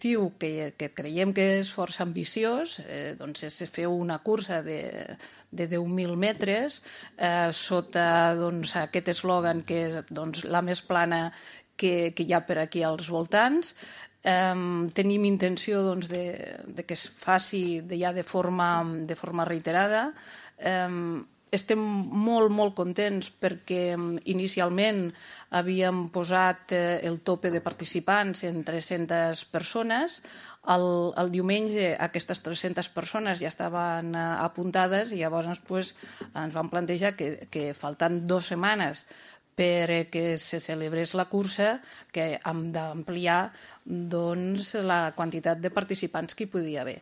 que creiem que és força ambiciós, doncs és fer una cursa de 10.000 metres sota aquest eslògan que és la més plana que hi ha per aquí als voltants. Tenim intenció de que es faci ja de forma reiterada. Estem molt contents perquè inicialment havíem posat el tope de participants en 300 persones. El diumenge aquestes 300 persones ja estaven apuntades i llavors ens vam plantejar que faltant 2 setmanes perquè se celebrés la cursa, que hem d'ampliar la quantitat de participants que hi podia haver.